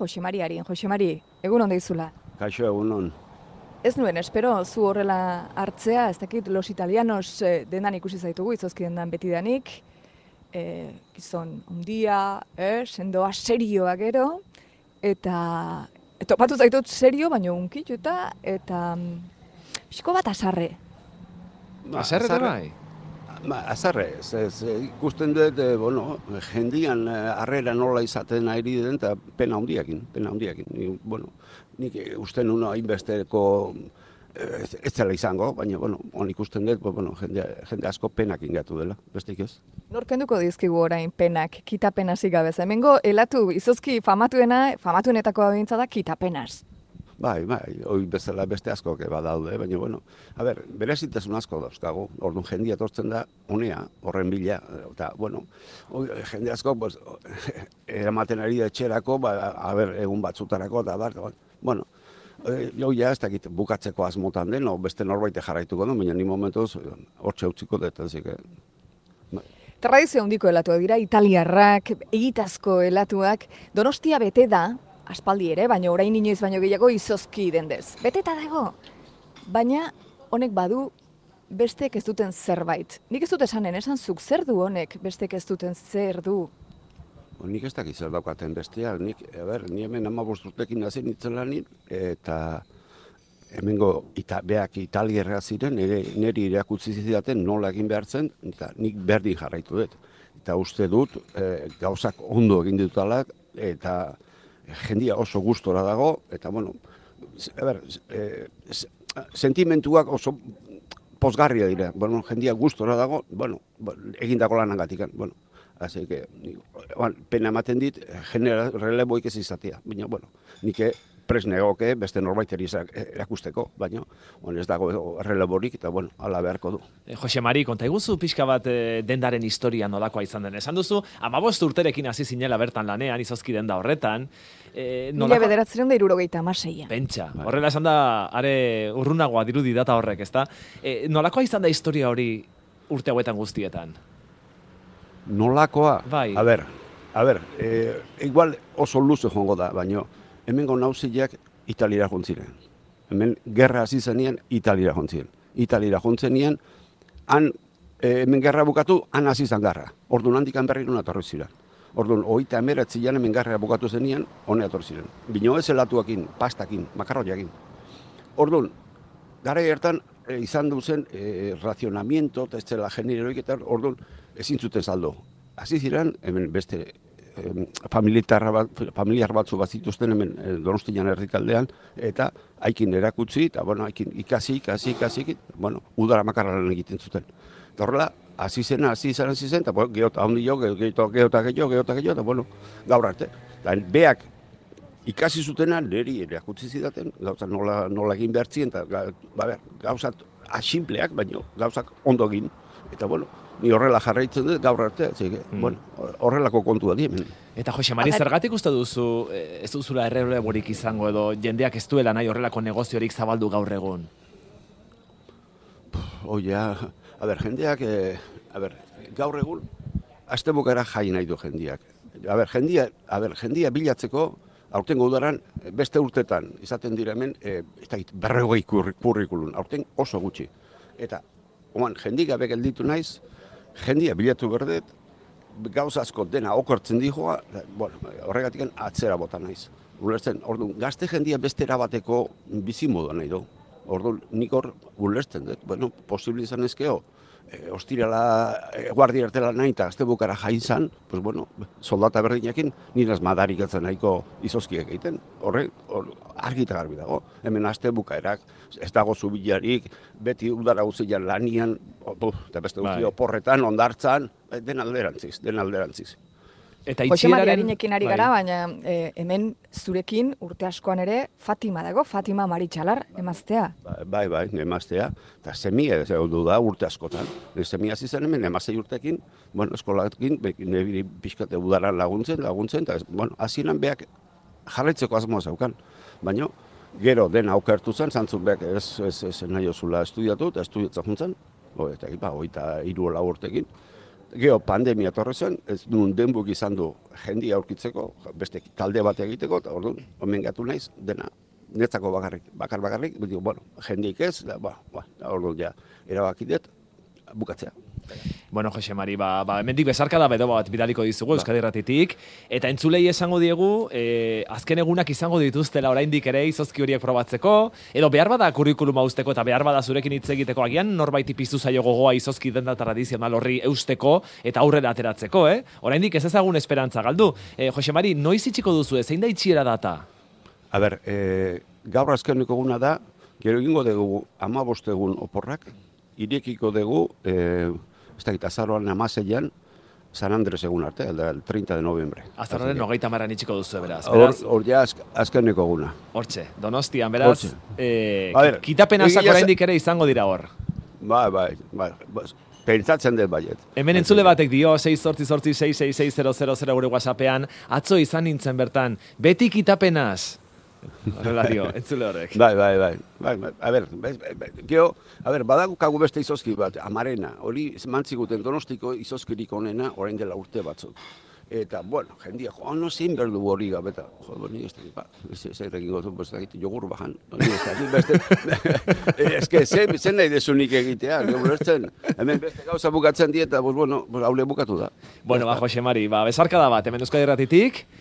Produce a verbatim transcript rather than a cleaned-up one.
Jose Mari Arin, Jose Mari, egun on deizula. Kaixo, egun on. Ez nuen, espero, zu horrela hartzea, ez dakit, Los Italianos eh, dendan ikusi zaitugu, izozki dendan betidanik, eh, gizon ondia, eh, sendoa serioa gero, eta e, topatu zaitut serio, baina unkitu eta, eta mm, pixko bat azarre. Azarre da bai? Ba, azarre, ez, ez, ikusten dut, e, bueno, jendian harrera nola izaten ari den, eta pena handiakin, pena handiakin. Ni, bueno, nik uste nuen hainbesteko ez, ez zela izango, baina, bueno, on ikusten dut, bueno, jende, jende asko penak ingatu dela, besteik ez. Norkenduko dizkigu orain penak, kitapenaz igabez. Hemengo elatu izozki famatuena, famatuenetako abintza da kitapenaz. Bai, bai, hoi bezala beste asko badaude, baina, bueno, a ber, berezitasun asko dauzkagu, orduan jendia etortzen da, honea, horren bila, eta, bueno, oi, jende asko, pues, eramaten ari da etxerako, ba, a ber, egun batzutarako, eta, bar, bueno, jo, ja, ez dakit, bukatzeko asmotan den, o beste norbaite jarraituko du, baina ni momentuz, hortxe utziko dut, zik, bai. Tradizio handiko elatuak dira, italiarrak, egitazko elatuak, Donostia bete da, aspaldi ere, baina orain inoiz baino gehiago izozki dendez. Beteta dago, baina honek badu bestek ez duten zerbait. Nik ez dut esanen, esan zuk zer du honek bestek ez duten zer du? Nik ez dakit zer daukaten besteak, nik, a ber, ni hemen hamabost urtekin hasi nintzen lanin, eta hemengo ita, beak italierra ziren, nire, niri irakutsi zidaten nola egin behar zen, eta nik berdin jarraitu dut. Eta uste dut, e, gauzak ondo egin ditutalak, eta jendia oso gustora dago, eta, bueno, a ber, e, sentimentuak oso pozgarria dira. Bueno, jendia gustora dago, bueno, egindako lanagatik, bueno, así que, pena ematen dit, genera releboik ez izatea, baina, bueno, nik pres negoke beste norbaiteri erakusteko, baina ez dago erreleborik eta bueno, hala beharko du. E, Jose Mari, konta iguzu pixka bat e, dendaren historia nolakoa izan den. Esan duzu, hamabost urterekin hasi zinela bertan lanean, izozki denda horretan. E, Mila nolako... bederatzen da irurogeita amaseian. Pentsa, horrela esan da, are urrunagoa dirudi data horrek, ezta? E, nolakoa izan da historia hori urte hauetan guztietan? Nolakoa? Bai. A ber, a ber, e, igual oso luze joango da, baina hemengo nauziak Italiara jontziren. Hemen gerra hasi zenean Italiara jontziren. Italiara jontzenean, han e, hemen gerra bukatu, han hasi zen garra. Orduan handik berri nuna etorri ziren. Orduan, hogeita hemeretzian hemen gerra bukatu zenean, hone etorri ziren. Bino ez elatuakin, pastakin, makarroiakin. Orduan, gara hartan e, izan duzen e, razionamiento, eta ez zela generoik, eta orduan ezin zuten saldo. Hasi ziren, hemen beste familiar bat, familiar batzu bat zituzten hemen Donostian herrikaldean, eta haikin erakutsi, eta bueno, haikin ikasi, ikasi, ikasi, bueno, udara makarra lan egiten zuten. Eta horrela, hasi zen, hasi zen, hasi zen, eta bueno, geota handi jo, geota geota gehiago, geota gehiago, eta bueno, gaur arte. Eta beak ikasi zutena, niri erakutsi zidaten, gauzak nola, nola egin behartzien, eta ba, gauzak asimpleak, baina gauzak ondo egin, eta bueno, ni horrela jarraitzen dut gaur arte, mm. bueno, horrelako kontua di hemen. Eta Jose Mari, zergatik uste duzu, ez duzula erreleborik izango edo jendeak ez duela nahi horrelako negoziorik zabaldu gaur egun? Oia, a ber, jendeak, eh, a ber, gaur egun, astebukara jai nahi du jendeak. A ber, jendia, a ber, jendia bilatzeko, aurtengo udaran, beste urtetan, izaten dira hemen, eh, berrogei kurrikulun, aurten oso gutxi. Eta, oan, jendik gabe gelditu naiz, jendia bilatu berdet, gauza asko dena okortzen dijoa, bueno, horregatik atzera bota naiz. Ulertzen, orduan, gazte jendia beste erabateko bizimodu nahi du. Orduan, nik hor ulertzen dut, bueno, posible izan ezkeo, e, ostirala, e, guardia ertela nahi eta azte bukara jaizan, pues bueno, soldata berdinakin, niraz madarikatzen nahiko izozkiek egiten. Horre, hor, argi eta garbi dago. Hemen azte bukaerak, ez dago zubilarik, beti udara guzian lanian, eta beste guzti oporretan, ondartzan, den alderantziz, den alderantziz. Eta Jose Mari Arinekin ari gara, baina e, hemen zurekin urte askoan ere Fatima dago, Fatima Maritxalar emaztea. Bai, bai, emaztea, eta semia du da urte askotan. Semia zizen hemen emazei urtekin, bueno, eskolakin, nebiri pixkate udaran laguntzen, laguntzen, eta, bueno, hasieran beak jarraitzeko asmoa zaukan. Baina, gero dena aukertu zen, zantzun beak ez, ez, ez nahi osula estudiatu, eta estudiatzen juntzen, eta, ba, oita hiru lau urtekin. Geo, pandemia torre zen, ez duen denbuk izan du jendia aurkitzeko, beste talde bat egiteko, eta orduan, omen gatu naiz, dena, netzako bakarrik, bakar bakarrik, digo, bueno, jendik ez, da, ba, ba, orduan ja, erabakidet, bukatzea. Bueno, Jose Mari, ba, ba, hemendik bezarka da bedo bat bidaliko dizugu, Euskadi Irratitik, eta entzulei esango diegu, e, azken egunak izango dituztela oraindik ere izozki horiek probatzeko, edo behar bada kurrikuluma usteko eta behar bada zurekin hitz egiteko, agian norbaiti piztu zaio gogoa izozki denda tradizional horri eusteko eta aurrera ateratzeko, eh? Oraindik ez ezagun esperantza galdu. E, Jose Mari, noiz itxiko duzu, zein da itxiera data? A ber, e, gaur azkeneko eguna da, gero egingo dugu hamabost egun oporrak, irekiko dugu, e, ez dakit, azaroan amaseian, San Andres egun arte, el treinta de noviembre. Azaroaren hogeita maran itxiko duzu, beraz. Hor, hor ja azk, azkeneko eguna. Hortxe, Donostian, beraz, eh, kitapenazak oraindik ere izango dira hor. Bai, bai, bai, pentsatzen dut baiet. Hemen entzule batek dio, sei zortzi zortzi sei sei sei zero zero zero gure WhatsAppean, atzo izan nintzen bertan, beti kitapenaz. Horrela dio, entzule horrek. Bai, bai, bai, bai, bai, a ber, gero, a ber, badagukagu beste izozki bat, Amarena, hori mantziguten Donostiko izozkirik onena, orain dela urte batzuk. Eta, bueno, jendia, jo, no zein berdu hori gabeta. Jo, nik ez dakit, ba, zer egin gotu, ez dakit, jogur bajan. Ez dakit, beste, ez que, zen nahi desunik egitea, gero hemen beste gauza bukatzen dieta, pues, bueno, haule bukatu da. Bueno, ba, Jose Mari, ba, bezarka da bat, hemen Euskadi Irratitik,